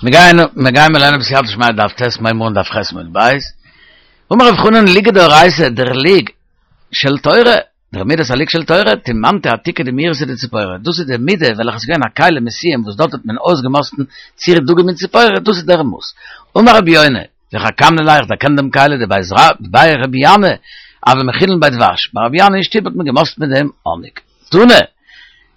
מיר גייען מיר גייען מיר לערנען בסייעתא דשמיא דף ט' מ'הייבן אן דף ח' עמוד ב'. אמר רב חנן לוגא דאורייתא דער לוג של תורה, דער מידת הלוג של תורה, תימנתא עתיקא דמאירתא דציפורי, דאס איז די מידה וועלכע איז געווען א כלי מסוים וואס דארט האט מען אויסגעמאסטן צירי דגים און ציפורי, דאס איז דער מאס. אמר רבי יונה, וחכמנא ליה איך דערקען דעם כלי דבי רבי ינאי הוו מחינן ביה דבש, ביי רבי ינאי אין שטוב האט מען געמאסטן מיט דעם האניג. תנא,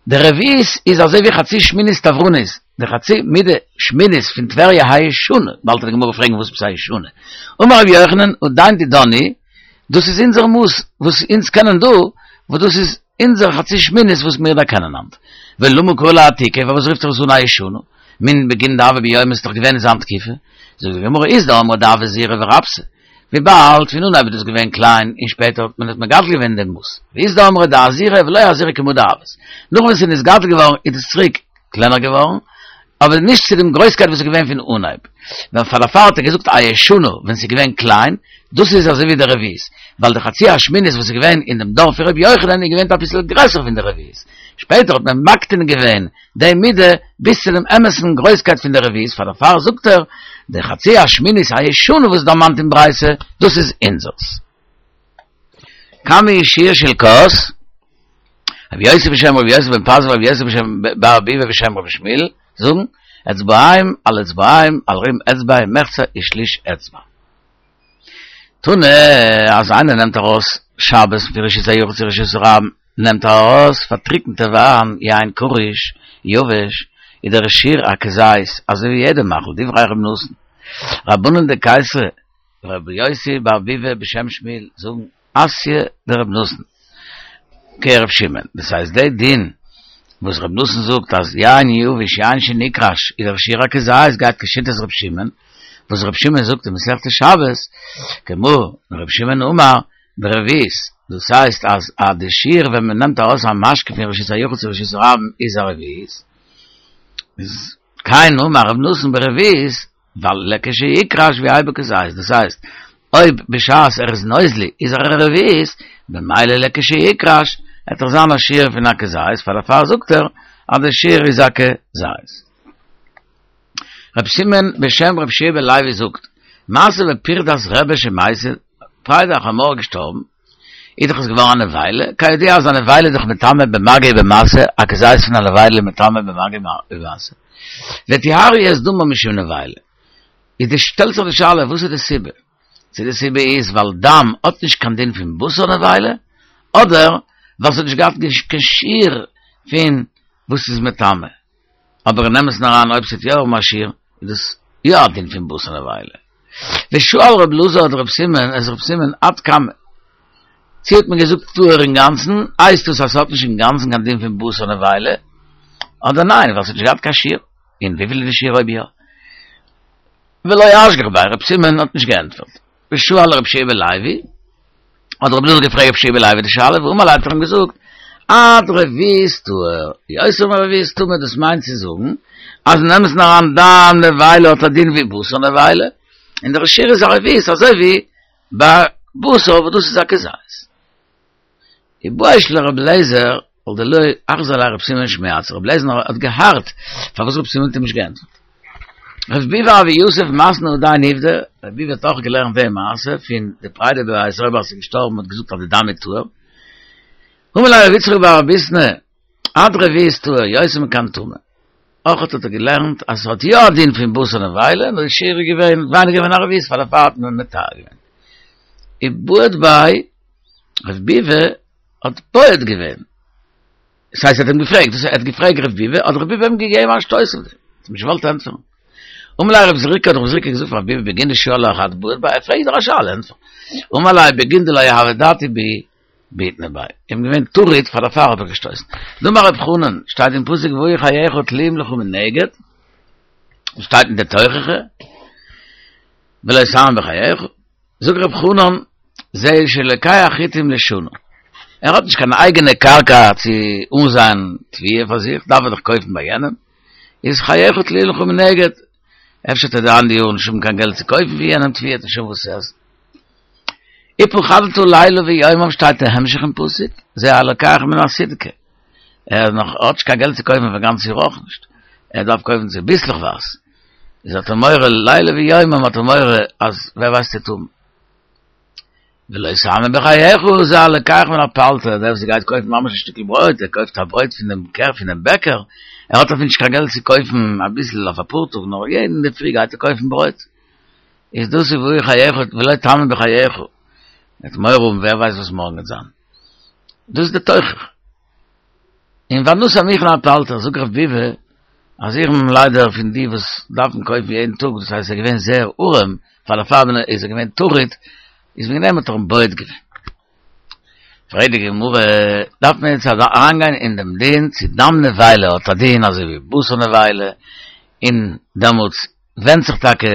די רביעית איז אזוי ווי חצי שמינית תברנית, די חצי מידה שמינית פון טבריה הישנה, באלד וועט די גמרא פרעגן וואס עפעס הישנה, אמר רבי יוחנן עדיין דידן היא, דאס איז אונזער מאס וואס אונז קענען דא, וואס דאס איז אונזער חצי שמינית וואס מיר דערקענען היינט. ולמה קרי לה עתיקא, פארוואס רופט זיך עס אן הישנה? מן בגין דהוה ביומיה ס'איז דאך געווען אין זיין תקופה, זאגט די גמרא אית דאמרי דהוה זעירא ורבתא, וויבאלד פון אנהייב איז דאס געווען קליין און שפעטער האט מען עס מגדל געווען דעם מאס, ואית דאמרי דאזהירא ולא אזהירא כמה דהות, נאך ווען ס'איז נתגדל געווארן איז עס צוריק קלענער געווארן, אבער נישט צו דעם גרויסקייט וואס איז געווען פון אנהייב. ווען פאר דערפאר האט ער געזאגט הישנה ווען ס'איז געווען קליין, דאס איז אזוי ווי די רביעית, ווייל די חצי השמינית וואס איז געווען אין דעם דור פון רבי יוחנן איז געווען אביסל גרעסער פון די רביעית, שפעטער האט מען מקטין געווען די מידה ביז צו דעם אמת'ן גרויסקייט פון די רביעית, פאר דערפאר זאגט ער, די חצי השמינית הישנה וואס איז דערמאנט אין ברייתא, דאס איז אונזערס. כמה הוא שיעור של כוס, רבי יוסי בשם רבי יוסי בן פזי ורבי יוסי בשם בר ביבי בשם רבי שמואל, זאגן, אצבעיים על אצבעיים על רום אצבע ומחצה ושליש אצבע. תנא, אז איינער נעמט ארויס שבת פון רשות היחיד צו רשות הרבים, נעמט ער ארויס פארטריקנטע וויין, יין קרוש, יבש, איז דער שיעור א כזית, אזוי ווי יעדע מאכל, דברי ר' נתן. רבנן דקיסרי, רבי יוסי בר ביבי בשם שמואל, זאגן, אתיא דר' נתן, כר' שמעון, דאס הייסט די דין וואס ר' נתן זאגט אז יין יבש יין שנקרש איז דער שיעור א כזית גייט כשיטת ר' שמעון, וואס ר' שמעון זאגט אין מסכת שבת, כמו ר' שמעון אמר ברביעית, דאס הייסט אז אז די שיעור ווען מען נעמט ארויס א משקה פון רשות היחיד צו רשות הרבים איז א רביעית, איז כן אמר ר' נתן ברביעית, ווייל לכשיקרש ויהא בו כזית, דאס הייסט, אויב בשעת ער איז נוזלי איז ער א רביעית, במילא לכשיקרש וועט דאך זיין א שיעור פון א כזית, פאר דערפאר זאגט ער אז די שיעור איז א כזית. רב סימון בשם רב יהושע בן לוי זאגט, מעשה בפרדס רבי שמתה, פריידא החמור געשטארבן, איז דאך עס געווארן א נבילה, כידוע אז א נבילה איז דאך מטמא במגע ובמשא, א כזית פון א נבילה איז מטמא במגע ובמשא, וטיהרו את דמה משום נבילה, איז די שטעלט זיך די שאלה וואס איז די סיבה? צו די סיבה איז ווייל דם האט נישט קיין דין פון בשר נבילה, אדער ווייל ס'האט נישט געהאט קיין שיעור פון וואס איז מטמא. אבער אין אמת'ן אריין אויב ס'האט יא א שיעור איז דאס יא א דין פון בשר נבילה. ושאל רב אלעזר את רב סימון את רב סימון עד כמה. צו האט מען געזאגט טהור אינגאנצן, הייסט דאס אז ס'האט נישט אינגאנצן קיין דין פון בשר נבילה, אדער ניין ווייל ס'האט נישט געהאט קיין שיעור, און וויפיל איז די שיעור אויב יא? ולא אשגח ביה, רב סימון האט נישט געענטפערט. ושאל רב יהושע בן לוי, האט רבי אלעזר געפרעגט רב יהושע בן לוי די שאלה, ואמר ליה האט ער אים געזאגט, עד רביעית טהור, יותר מרביעית טמא, דאס מיינט צו זאגן, אז אין אמת'ן אריין דם נבילה האט א דין ווי בשר נבילה, און דער שיעור איז א רביעית אזוי ווי ביי בשר וואס דאס איז א כזית. איבעית ליה רבי אליעזר, על דלא אחזר ליה רב סימון שמועתתיה, רבי אליעזר האט געהארט פארוואס רב סימון האט אים נישט געענטפערט. רב ביבי אבא יוסף מתני הדין עובדא, רב ביבי האט אויך געלערנט די מעשה פון די פריידא בבית רבא אז ס'איז געשטארבן האט געזאגט אז די דם איז טהור. אמר ליה רב יצחק בר אביסנא עד רביעית טהור יותר מכאן טמא. אויך האט ער געלערנט אז ס'האט יא א דין פון בשר נבילה, נאר די שיעור איז געווען ווייניגער פון א רביעית פאר דערפאר האט מען מטהר געווען. ובעט ביה רב ביבי האט בועט געווען. דאס הייסט ער האט אים געפרעגט, דאס ער האט געפרעגט רב ביבי, האט רב ביבי אים געגעבן א שטויס אויף דעם, האט אים נישט געוואלט ענטפערן. אמר ליה רב זריקא, האט רב זריקא געזאגט פאר רב ביבי בגין דשאל לך את בעט ביה, ער פרעגט דיר א שאלה, ענטפער. אמר ליה בגין דלא הוה דעתי בי בעיטנא ביה, איך בין געווען טרוד פאר דערפאר האב איך געשטויסן. דאמר רב חנן, שטייט אין פסוק והיו חייך תלואים לך מנגד, שטייט אין די תוכחה, ולא תאמין בחייך, זאגט רב חנן, זהו שלוקח חיטים לשנה. ער האט נישט קיין אייגענע קרקע צו אנזייען תבואה פאר זיך, דארף ער דאך קויפן ביי יענעם, איז חייך תלואים לך מנגד, אפשר וועט ער די אנדערע יאר נישט האבן קיין געלט צו קויפן פון יענעם תבואה, האט נישט וואס צו עסן. ופחדת לילה ויומם שטייט אין המשך אין פסוק, זה הלוקח מן הסדקה. ער נאך האט נישט קיין געלט צו קויפן פאר גאנץ יאר אויך נישט, ער דארף קויפן צוביסלעכווייז. איז האט ער מורא לילה ויומם האט ער מורא אז ווער ווייסט צו טון. ולא תאמין בחייך זה הלוקח מן הפלטר, דער וואס גייט קויפן ממש א שטיקל ברויט, ער קויפט א ברויט פון דעם קער פון דעם בעקער, ער האט אפילו נישט קיין געלט צו קויפן אביסל אויף אפאר טאג, נאר יעדן אינדערפרי גייט ער קויפן ברויט. איז דאס איז והוא חייך ולא תאמין בחייך, ער האט מורא האבן ווער ווייסט וואס מארגן וועט זיין. דאס איז די תוכחה. און והנשיא המוכן הפלטר, זאגט רב ביבי, אז איך בין ליידער פון די וואס דארפן קויפן יעדן טאג, דאס הייסט ער איז געווען זייער ארעם, פאר דערפאר איז ער געווען טרוד, איז וועגן דעם האט ער אים בועט געווען. פרעגט די גמרא, דארף מען יעצט אריינגיין אין דעם דין צו דם נבילה האט א דין אזוי ווי בשר נבילה, און דעמאלטס ווענדט זיך טאקע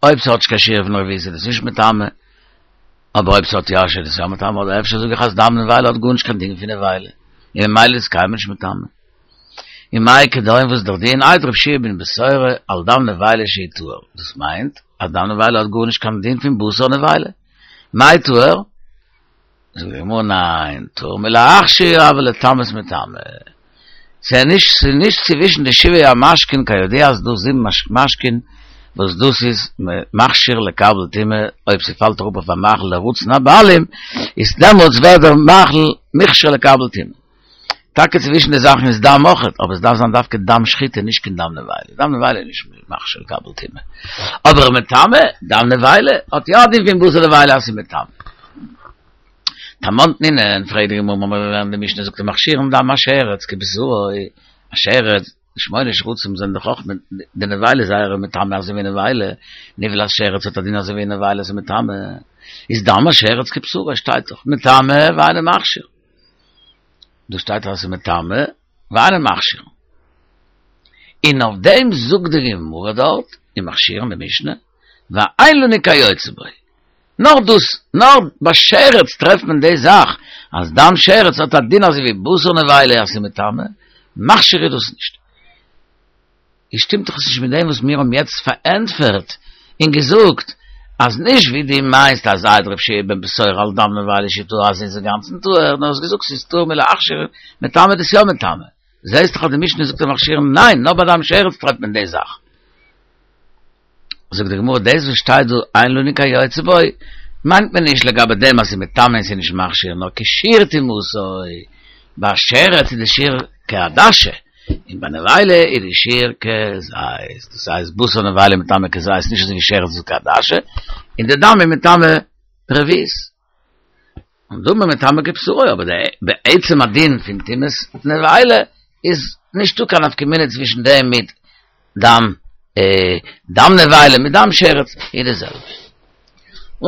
אויב ס'האט נישט קיין שיעור פון רביעית איז עס נישט מטמא, אבער אויב ס'האט יא א שיעור איז עס יא מטמא, אדער אפשר זאג איך אז דם נבילה האט גארנישט קיין דין פון נבילה, און ממילא איז עס קיינמאל נישט מטמא. און מאי כדין וואס איז דער דין העיד רבי יהושע בן בתירא על דם נבילה שהוא טהור, דאס מיינט אז דם נבילה האט גארנישט קיין דין פון בשר נבילה. מאי טהור? זאגט די גמרא ניין, טהור מלהכשיר אבל לטמאות מטמא. ס'איז נישט ס'איז נישט צווישן די שבעה המשקין כידוע אז דא זיבן משקין וואס דאס איז מכשיר לקבל טומאה אויב ס'פאלט אראפ אויף א מאכל לרצון הבעלים איז דעמאלטס ווערט דער מאכל מוכשר לקבל טומאה. טאקע צווישן די זאכן איז דם אויכעט, אבער עס דארף זיין דווקא דם שחיטה נישט קיין דם נבילה, דם נבילה איז נישט מכשיר לקבל טומאה, אבער מטמא, דם נבילה האט יא א דין פון בשר נבילה אז ס'איז מטמא. תמן תנינן, פרעגט די גמרא, מ'האמיר געלערנט די משנה זאגט מכשירין דם השרץ כבשרו, א שרץ, די שמונה שרצים זענען דאך אויך די נבילה זייערע מטמא אזוי ווי נבילה, נבלת שרץ האט א דין אזוי ווי נבילה איז מטמא, איז דם השרץ כבשרו שטייט דאך מטמא ואינו מכשיר. דא שטייט אז ס'איז מטמא ואינו מכשיר. און אויף דעם זאגט די גמרא דארט אין מכשירין די משנה, ואין לנו כיוצא בו. נאר דאס, נאר ביי שרץ טרעפט מען די זאך, אז דם שרץ האט א דין אזוי ווי בשר נבילה אז ס'איז מטמא, מכשיר איז דאס נישט. איז שטימט דאך עס נישט מיט דעם וואס מיר האבן יעצט פארענטפערט און געזאגט אז נישט ווי דו מיינסט אז העיד רבי יהושע בן בתירא על דם נבילה שהוא טהור אז ס'איז אינגאנצן טהור נאר האסט געזאגט ס'איז טהור מלהכשיר מטמא איז עס יא מטמא זעהסט דאך אז די משנה זאגט אין מכשירין ניין נאר ביי דם שרץ טרעפט מען די זאך. זאגט די גמרא דאס וואס שטייט דא אין לנו כיוצא בו מיינט מען נישט לגבי דעם אז ס'איז מטמא און ס'איז נישט מכשיר נאר כשיעור טומאתו, ביי שרץ איז די שיעור כעדשה און ביי נבילה איז די שיעור כזית, דאס הייסט בשר נבילה מטמא כזית נישט אזוי ווי שרץ איז כעדשה, און די דם איז מטמא ברביעית. און דמים מטמא כבשרו, אבער די בעצם הדין פון טומאת נבילה איז נישטא קיין נפקא מינה צווישן דעם מיט דם דם נבילה מיט דם שרץ איז די זעלבע.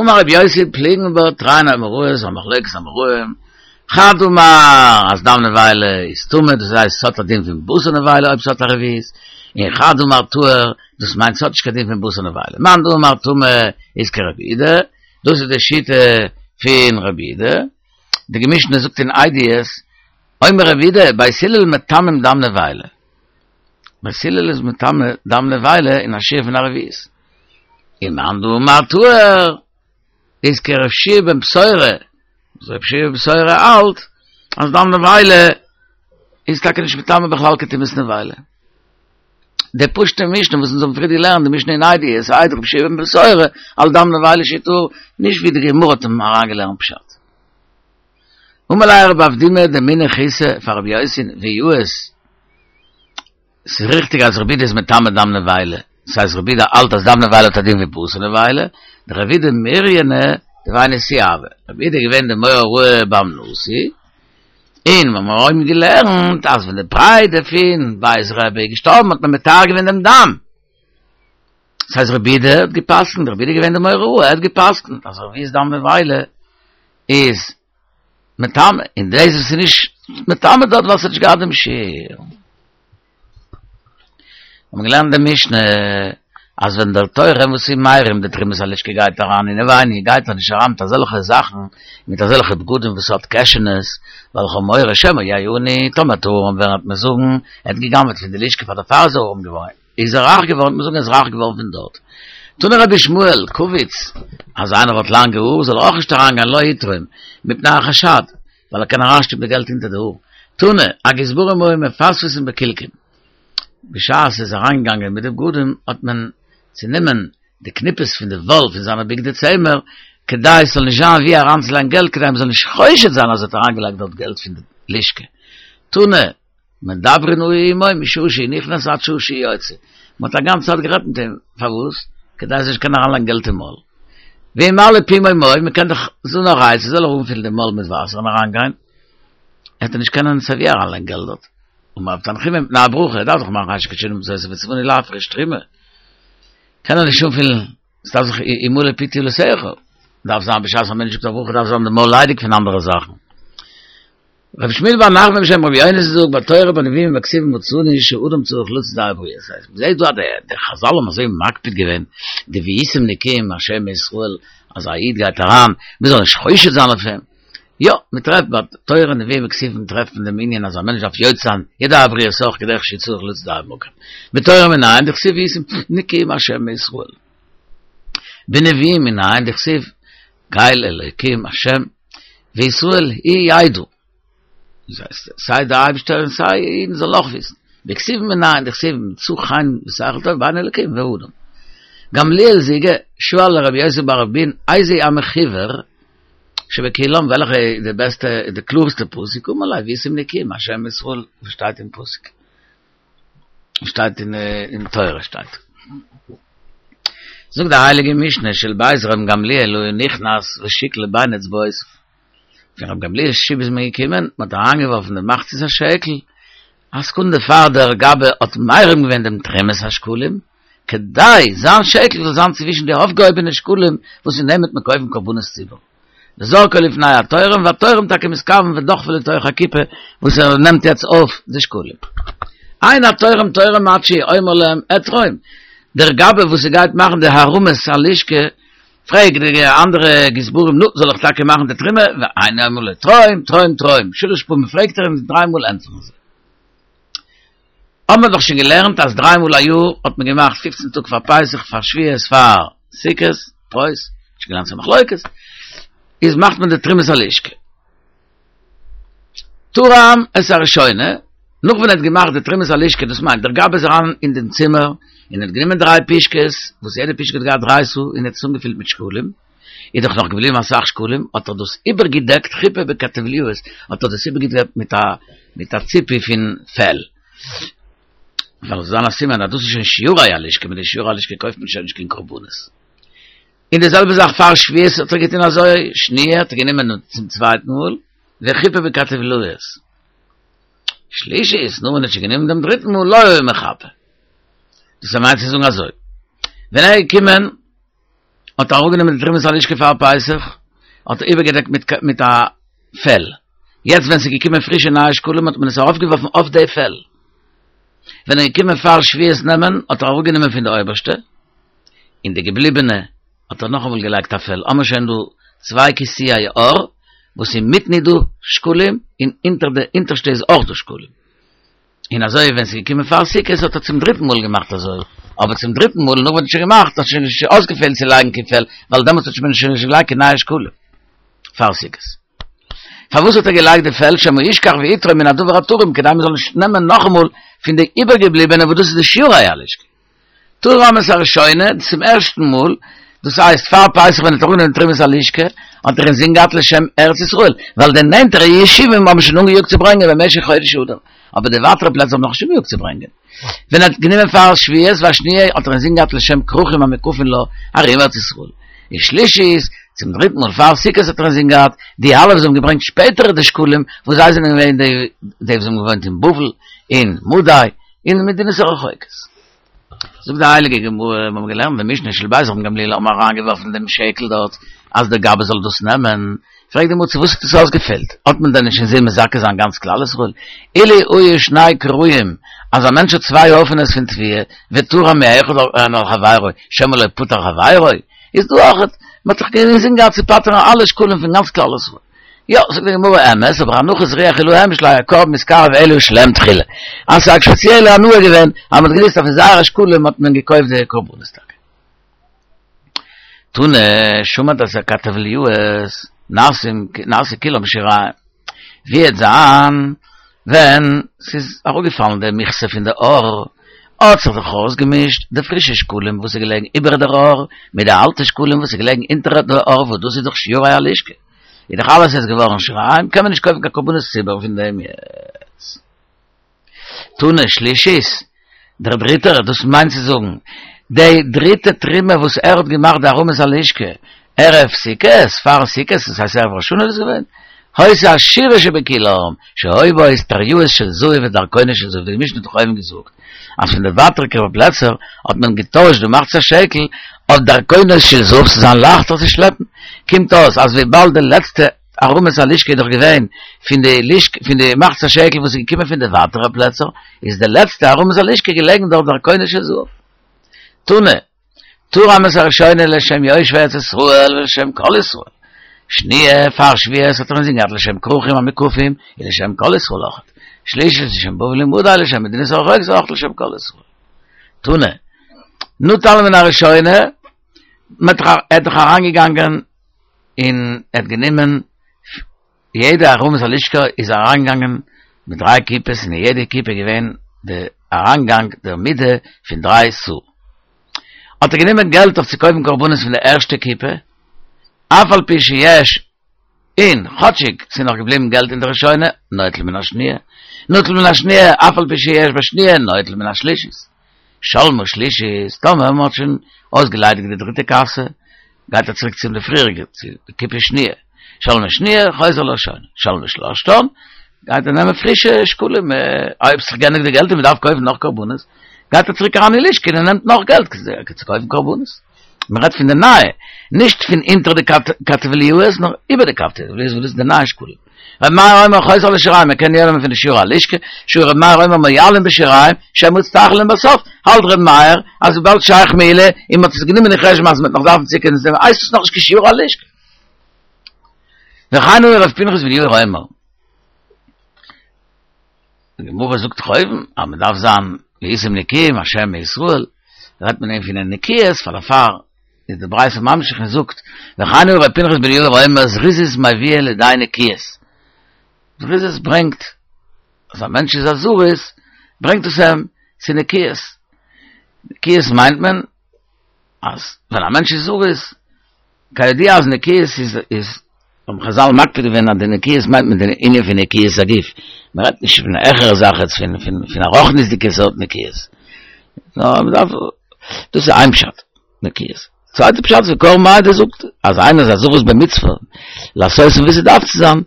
אמר רבי יוסי פליגין בה תרין אמוראי א מחלוקת אמוראים, חד אמר אז דם נבילה איז טמא דאס הייסט ס'האט א דין פון בשר נבילה אויב ס'האט א רביעית, און חד אמר טהור דאס מיינט ס'האט נישט קיין דין פון בשר נבילה, מאן דאמר טמא איז כרבי יהודה, דאס איז די שיטה פון רבי יהודה, די משנה זאגט אין עדיות, אומר רבי יהודה, בית הלל מטמאים דם נבילה, בית הלל איז מטמא דם נבילה אין א שיעור פון א רביעית, און מאן דאמר טהור איז כרבי יהושע בן בתירא, רבי יהושע בן בתירא האלט אז דם נבילה איז טאקע נישט מטמא בכלל קיין טומאת נבילה. די פשוטע משנה וואס אונז האבן פריער געלערנט, די משנה אין עדיות, העיד רבי יהושע בן בתירא, על דם נבילה שהוא טהור, נישט ווי די גמרא האט אים אריינגעלערנט פשט. אמר ליה רב אבדימי דמינח חיסא פאר רבי יוסי ויאות, ס'איז ריכטיג אז רבי יהודה איז מטמא דם נבילה, ס'הייסט רבי יהודה האלט אז דם נבילה האט א דין ווי בשר נבילה, דרבי יהודה מוריינא דבי נשיאה הוה, רבי יהודה איז געווען די מורה הוראה ביים נשיא, און מיר האבן געלערנט אז ווען די פריידא פון בית רבי איז געשטארבן האט מען מטהר געווען דעם דם. דאס הייסט רבי יהודה האט גע'פסק'נט, רבי יהודה איז געווען די מורה הוראה, ער האט גע'פסק'נט אז רביעית דם נבילה איז מטמא, און דאס וואס איז נישט מטמא דארט ווייל ס'האט נישט געהאט דעם שיעור. האבן געלערנט די משנה אז ווען דער תורם וואס איז מרים די תרומת הלשכה גייט אריין אינעווייניג גייט ער נישט אריין מיט אזעלכע זאכן מיט אזעלכע בגדים וואס האט קעשענעס ווייל כ'האב מורא שמא יהיה עני טאמער וועט ער ארעם ווערן וועט מען זאגן ער האט גע'גנב'עט פון די לשכה פאר דערפאר איז ער ארעם געווארן איז ער רייך געווארן וועט מען זאגן ער איז רייך געווארן פון דארט תני רבי ישמעאל קוויץ אז איינער האט לאנגע האר זאל ער אויך נישט אריינגיין לא יתרום מפני החשד ווייל ער קען אריינשטופן די געלט אונטער די האר. תנא, הגזברים היו מפספסין בקילקין. בשעת ער איז אריינגעגאנגען מיט די בגדים האט מען. צו נעמען די קניפעס פון די וואל פון זיינע בגדי צמר, כדי עס זאל נישט זיין ווי אריינצולייגן געלט, כדי מען זאל נישט חושד זיין אז ער האט אריינגעלייגט דארט געלט פון די לשכה. תנא, מדברין היו עמו משעה שהוא נכנס עד שעה שהוא יוצא, מען האט א גאנצע צייט גערעדט מיט אים, פארוואס? כדי ער זאל נישט קענען אריינלייגן געלט אין מויל. וימלא פומיה מים, מען קען דאך זאגן א עצה, זאל ער אנפילן די מויל מיט וואסער און אריינגיין, וועט ער נישט קענען סייווי אריינלייגן געלט דארט. אמר רב תנחומא מפני הברכה, ער דארף דאך מאכן אשר קדשנו במצותיו וצונו להפריש תרומה, קען ער נישט אנפילן, עס דארף זיך ימלא פי תהלתך, דארף זיין בשעת א מענטש זאגט א ברכה דארף זיין די מויל ליידיג פון אנדערע זאכן. רבי שמואל בר נחמן בשם רבי יונתן זאגט בתורה בנביאים ובכתובים מצינו שאדם צריך לצאת ידי הבריות. דאס הייסט, מ'זעט דא אז די חזל האבן אזוי מקפיד געווען די והייתם נקיים מהשם ומישראל אז א איד גייט אריין מ'זאל נישט חושד זיין אויף אים. יא, מ'טרעפט בתורה נביאים וכתובים טרעפט מען דעם ענין אז א מענטש דארף יוצא זיין ידי הבריות אויך כדרך שצריך לצאת ידי המקום. בתורה מנין דכתיב והייתם נקיים מהשם ומישראל. בנביאים מנין דכתיב קל אלוקים השם וישראל הוא ידע. דאס הייסט סיי דער אייבערשטער און סיי אידן זאלן אויך וויסן. בכתובים מנין דכתיב מצא חן ושכל טוב בעיני אלוקים והאדם. גמליאל זיגא שאל לרבי יוסי בר אבין איזהו המחוור שבכולם וועלכע איז די בעסטע די קלארסטע פסוק אמר ליה והייתם נקיים מהשם ומישראל וואס שטייט אין פסוק. שטייט אין תורה שטייט. זאגט די הייליגע משנה של בית רבן גמליאל היה נכנס ושקלו בין אצבעותיו. פון רבן גמליאל'ס שטוב איז מען געקומען, מען האט אריינגעווארפן די מחצית השקל, א סעקונדע פאר דער גבאי האט מרים געווען דעם תרומת השקלים, כדי זיין שקל זאל זיין צווישן די אויפגעהויבענע שקלים וואס אין דעם וועט מען קויפן קרבנות ציבור. וזרקו לפני התורם, והתורם טאקע מתכוון ודוחפו לתוך הקופה וואס ער נעמט יעצט אויף די שקלים. אין התורם תורם עד שיאמר להם אתרום, דער גבאי וואס ס'גייט מאכן די הרמת הלשכה פרעגט די אנדערע גזברים נו זאל איך טאקע מאכן די תרומה, ואינו אומר לו תרום תרום תרום, שלש פעמים פרעגט ער אים דריי מאל ענטפערן זיי. האבן מיר דאך שוין געלערנט אז דריי מאל א יאר האט מען געמאכט פופצן טאג פאר פסח פאר שבועות פאר סוכות, פרוס, נישט געלערנט ס'איז א מחלוקת, איז מאכט מען די תרומת הלשכה. תרם את הראשונה, נאך ווען ער האט געמאכט די תרומת הלשכה, דאס מיינט דער גבאי איז אריין אין דעם צימער און האט גענומען דריי פישקעס, וואס יעדע פישקע האט געהאט דריי סאה און ער האט עס אנגעפילט מיט שקלים, איז דאך נאך געבליבן אסאך שקלים, האט ער דאס איבערגעדעקט, חיפה בכתבליאות, האט ער דאס איבערגעדעקט מיט א מיט א ציפוי פון פעל, ווייל עס זאל זיין א סימן אז דאס איז שוין שיורי הלשכה, מיט די שיורי הלשכה קויפט מען שוין נישט קיין קרבנות. און די זעלבע זאך פאר שבועות האט ער געטון אזוי, שניה האט ער גענומען צום צווייטן מאל, וחיפה בכתבליאות. שלישית, נאר ווען ער האט שוין גענומען דעם דריטן מאל, לא היה מחפה. דאס מיינט צו זאגן אזוי, ווען ער איז געקומען, האט ער אראפגענומען די תרומת הלשכה פאר פסח, האט ער איבערגעדעקט מיט מיט א פעל, יעצט ווען ס'איז געקומען פרישע נייע שקלים האט מען עס ארויפגעווארפן אויף די פעל, ווען ער איז געקומען פאר שבועות נעמען האט ער אראפגענומען פון די אויבערשטע, און די געבליבענע האט ער נאכאמאל געלייגט א פעל, האמער שוין דא צוויי כיסויי עור, וואס אינמיטן איז דא שקלים, און אונטער די אונטערשטע איז אויך דא שקלים. און אזוי ווען ס'איז געקומען פאר סוכות האט ער צום דריטן מאל געמאכט אזוי, אבער צום דריטן מאל נאך ווען ער האט שוין געמאכט האט שוין נישט אויסגעפעלט צו לייגן קיין פעל, ווייל דעמאלטס האט מען שוין נישט געלייגט קיין נייע שקלים פאר סוכות. פארוואס האט ער געלייגט די פעל שמא ישכח ויתרום מן הדבר התרום כדי מ'זאל נישט נעמען נאכאמאל פון די איבערגעבליבענע וואס דאס איז די שיורי הלשכה. תרם את הראשונה, צום ערשטן מאל, דאס הייסט פאר פסח ווען ער האט אראפגענומען תרומת הלשכה, האט ער אינזין געהאט לשם ארץ ישראל, ווייל די נענטערע ישובים האבן שוין אנגעיאגט צו ברענגען במשך חודש אדר, אבער די ווייטערע פלעצער האבן נאכנישט אנגעיאגט צו ברענגען. ווען ער האט גענומען פאר שבועות והשניה האט ער אינזין געהאט לשם כרכים המוקפין לה ארום ארץ ישראל. ושלישית, צום דריטן מאל פאר סוכות האט ער אינזין געהאט די אלע וואס האבן געברענגט שפעטער די שקלים, וואס זיי זענען געווען די די וואס האבן געוואוינט אין בבל, אין מדי, אין מדינות הרחוקות. זאגט די הייליגע גמרא, מיר האבן געלערנט אין משנה של בית רבן גמליאל האבן אריינגעווארפן דעם שקל דארט אז דער גבאי זאל דאס נעמען, פרעגט די גמרא צו וואס האט עס אויסגעפעלט, האט מען דען נישט אינזין מזכה זיין גאנץ כלל ישראל? אילו היו שני כריים, אז א מענטש האט צוויי הויפענעס פון תבואה, ותרם מאחד על חברו, שמא לא פטר חברו, איז דא אויך, מען האט דאך אינזין געהאט צו פטר'ן אלע שקלים פון גאנץ כלל ישראל. יא, זאגט די גמרא אמת, אבער הנחת רוח היא להם שלא היה קרבן מתקרב אלא שלהם תחילה. אז ס'איז א ספעציעלע הנאה געווען אז מ'האט געוואוסט אז פון זייערע שקלים האט מען געקויפט די קרבנות טאקע. תנא, שמט את הכתבליאות, נעשים נעשו כולם שיריים. ווי וועט זיין ווען ס'איז אראפגעפאלן די מכסה פון די עור? האט זיך דאך אויסגעמישט די פרישע שקלים וואס איז געלעגן איבער דער אור מיט די אלטע שקלים וואס איז געלעגן אונטער דער אור וואס דאס איז דאך שיורי הלשכה איז דאך אלעס יעצט געווארן שיריים קען מען נישט קויפן קיין קרבנות ציבור פון דעם יעצט. תנא שלישית, דער דריטער, דאס מיינט צו זאגן, די דריטע תרומה וואס ער האט געמאכט די הרמת הלשכה ערב סוכות, פאר סוכות, דאס הייסט ערב ראש השנה איז דאס געווען, היתה עשירה שבכולם, שהיו בה אסטריאות של זהב ודרכונות של זהב, די משנה האט דאך אויבן געזאגט אז פון די ווייטערדיגע פלעצער האט מען געטוישט די מחצית השקל אויף דרכונות של זהב ס'זאל זיין לייכטער צו שלעפן, קומט אויס אז וויבאלד די לעצטע הרמת הלשכה איז דאך געווען פון די לשכה פון די מחצית השקל וואס איז געקומען פון די ווייטערע פלעצער, איז די לעצטע הרמת הלשכה געלעגן דארט דרכונות של זהב. תנא, תרם את הראשונה לשם יושבי ארץ ישראל ולשם כל ישראל. שניה, פאר שבועות האט ער אינזין געהאט לשם כרכים המוקפים און לשם כל ישראל אויכעט. שלישית לשם בבל ומדי לשם מדינות הרחוקות אויכעט לשם כל ישראל. תנא, נטל מן הראשונה, מען האט דאך אריינגעגאנגען און ער האט גענומען יעדע הרמת הלשכה איז אריינגעגאנגען מיט דריי קופות און אין יעדע קופה איז געווען די אריינגאנג דער מידה פון דריי סאה האט ער גענומען געלט אויף צו קויפן קרבנות פון די ערשטע קופה אף על פי שיש און כאטשיג ס'איז נאך געבליבן געלט אין די ראשונה נוטל מן השניה נוטל מן השניה אף על פי שיש בשניה נוטל מן השלישית שלמה שלישית טאמער מ'האט שוין אויסגעליידיגט די דריטע קאסע גייט ער צוריק צום די פריעריגע צו די קופה שניה, שלמה שניה חוזר לראשונה, שלמה שלשתן, גייט ער נעמען פרישע שקלים, אויב ס'איז גענדיגט די געלט און מ'דארף קויפן נאך קרבנות, גייט ער צוריק אריין אין לשכה און ער נעמט נאך געלט צו קויפן קרבנות. מ'רעדט פון די נייע, נישט פון אונטער די כתבליאות, נאר איבער די כתבליאות וואס דאס איז די נייע שקלים. ר' מאיר אומר חוזר לשיריים, מען קען יא נעמען פון די שירי הלשכה, שו ר' מאיר אומר מועלין בשיריים, שמא יצטרכו להם בסוף, האלט ר' מאיר אז וויבאלד שייך מעילה און מען האט עס גענומען אין חשבון אז מען וועט נאך דארפן צוקומען צו דעם הייסט עס נאכנישט קיין שירי הלשכה. וכן הוא ר' פנחס בן יאיר אומר. די גמרא זאגט דאך אויבן אז מען דארף זיין והייתם נקיים מהשם ומישראל, רעדט מען פון די נקיות פאר דערפאר איז די ברייתא ממשיך און זאגט, וכן הוא ר' פנחס בן יאיר אומר זריזות מביאה לידי נקיות, זריזות ברענגט אז א מענטש איז א זריז ברענגט עס אים צו נקיות, נקיות מיינט מען אז ווען א מענטש איז זריז, כידוע אז נקיות איז איז האבן חזל מקפיד געווען אז די נקיות מיינט מען די ענין פון נקיות הגוף, מען רעדט נישט פון א העכערע זאך יעצט פון פון פון א רוחניות'דיגע סארט נקיות, נאר מען דארף, דאס איז איין פשט. נקיות. צווייטע פשט ווי קרבן העדה זאגט אז איינער איז א זריז במצוה לעשות ווי ס'דארף צו זיין,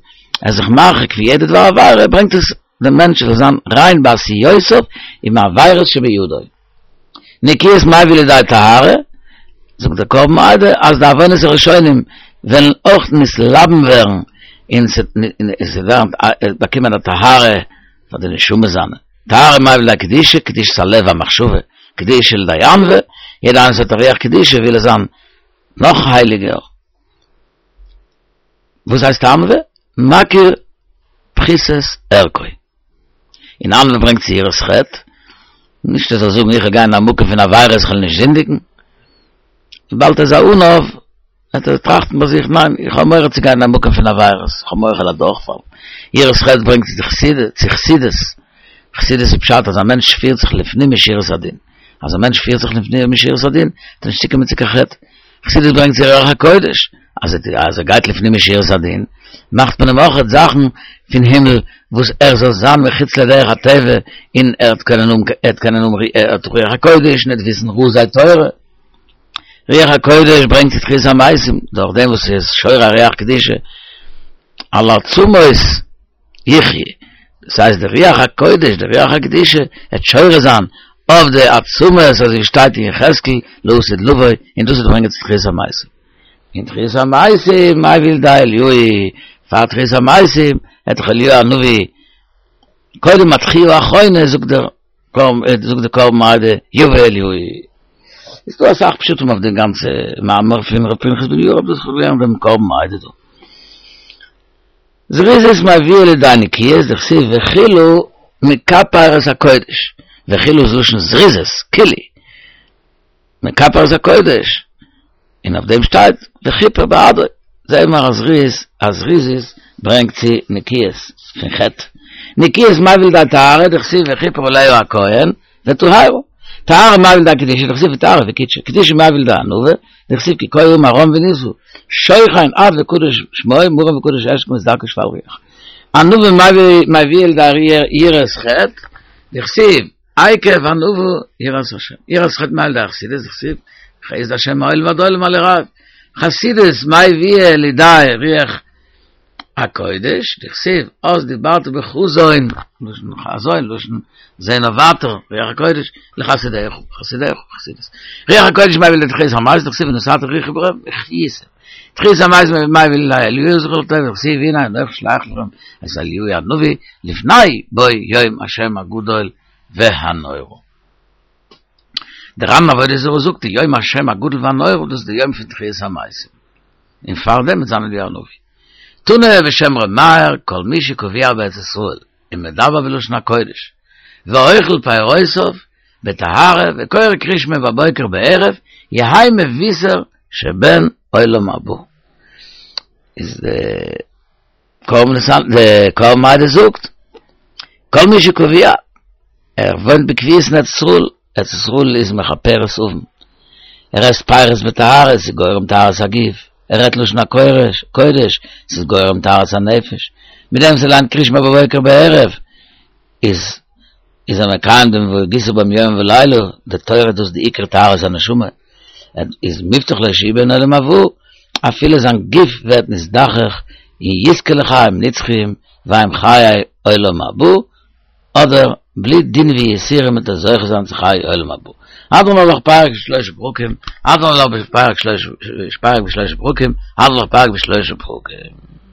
ער איז זיך מרחיק פון יעדע דבר עבירה, ברענגט עס דעם מענטש זאל זיין ריין בעשיותיו ומעבירות שבידו. נקיות מביא לידי טהרה, זאגט דער קרבן העדה אז די עוונות הראשונים וועלן אויך נתלבן ווערן און ס'ווערן באקומען א טהרה פאר די נשמה זיינע. טהרה מביא לידי קדושה, קדושת הלב והמחשבה, קדושה לידי ענווה, יעדער איינער וואס האט א רוח קדושה וויל ער זיין נאך הייליגער. וואס הייסט ענווה? מכיר פחיתות ערכו. און ענווה ברענגט צו יראת חטא, נישט ער זאל זאגן איך וועל גיין אין א מקום פון עבירות איך וועל נישט זינדיגן, וויבאלד ער איז א עניו וועט ער טראכטן ביי זיך, ניין, איך האב מורא צו גיין אין א מקום פון עבירות, איך האב מורא כ'וועל אדורכפאלן. יראת חטא ברענגט צו חסידות, חסידות איז פשט אז א מענטש פירט זיך לפנים משורת הדין, אז א מענטש פירט זיך לפנים משורת הדין, וועט ער נישט צוקומען צו קיין חטא. חסידות ברענגט צו רוח הקודש, אז ער גייט לפנים משורת הדין, מאכט מען אים אויכעט זאכן פון הימל וואס ער זאל זיין מחוץ לדרך הטבע, און ער וועט קענען האבן, ער וועט קענען האבן רוח הקודש און ער וועט וויסן רזי תורה. רוח הקודש ברענגט צו תחיית המתים, דורך דעם וואס ס'איז שורה רוח קדושה על עצמות יחי', דאס הייסט די רוח הקודש, די רוח הקדושה וועט שורה זיין אויף די עצמות אזוי ווי שטייט אין יחזקאל לעתיד לבוא, און דאס וועט ברענגען צו תחיית המתים. און תחיית המתים מביא לידי אליהו, פאר תחיית המתים וועט דאך אליהו הנביא קודם התחייה האחרונה זאגט דער זאגט די קרבן העדה יבא אליהו. איז דא אסאך פשטים אויף דעם גאנצע מאמר פון ר' פנחס בן יאיר אבער דאס האב איך געלערנט דעם קרבן העדה דא. זריזות מביאה לידי נקיות דכתיב וכילו מכפר את הקודש, וכילו איז לשון זריזות, כילי, מכפר את הקודש, און אויף דעם שטייט וכיפר בעדו, זעהן מיר אז זריז אז זריזות ברענגט צו נקיות פון חטא, נקיות מביא לידי טהרה דכתיב וכיפר עליה הכהן וטהרה. טהרה מביא לידי קדושה, דכתיב וטהרו וקדשו, קדושה מביא לידי ענווה, דכתיב כי כה אמר רם ונשא, שוכן עד וקדוש שמו, מרום וקדוש אשכון ודרכו שפל רוח. ענווה מביא לידי יראת חטא, דכתיב עקב ענווה יראת השם. יראת חטא מביא לידי חסידות, דכתיב חסד השם מעולם ועד עולם על יראיו. חסידות מביא לידי רוח הקודש, דכתיב, אז דיברת בחזון, לשון חזון, לשון זען אויף ווייטער, רוח הקודש, לחסידיך, חסידיך, חסידות. רוח הקודש מביא לידי תחיית המתים, דכתיב ונתתי רוחי בכם, והחייתם. תחיית המתים מביא לידי אליהו זכור לטוב, דכתיב הנה אנכי שולח לכם את אליהו הנביא, לפני בוא יום השם הגדול והנורא. דער ר"ן עבודה זרה זאגט, יום השם הגדול והנורא, דאס איז די יום פון תחיית המתים. און פאר דעם וועט זיין אליהו הנביא. תנא בשם ר' מאיר, כל מי שקבוע בארץ ישראל ומדבר בלשון הקודש, ואוכל פירותיו בטהרה וקורא קריאת שמע בבוקר בערב, יהא מבושר שבן עולם הבא. איז די קרבן העדה זאגט, כל מי שקבוע, ער וואוינט בקביעות אין ארץ ישראל, ארץ ישראל איז מכפרת עוון, ער עסט פירות בטהרה, ס'איז גורם טהרת הגוף, ער רעדט לשון הקודש, ס'איז גורם טהרת הנפש, מיט דעם וואס ער ליינט קריאת שמע בבוקר בערב, איז איז ער מקיים דעם והגית בם יומם ולילה, די תורה דאס איז די עיקר טהרת הנשמה, איז מובטח לו שהוא בן עולם הבא, אפילו זיין גוף ווערט נזדכך און יזכה לחיים נצחיים והם חיי עולם הבא, אדער בלי דין ויסורים וועט ער זוכה זיין צו חיי עולם הבא. הדרן עלך פרק בשלושה פרקים, הדרן עלך פרק בשלושה פרקים, הדרן עלך פרק בשלושה פרקים.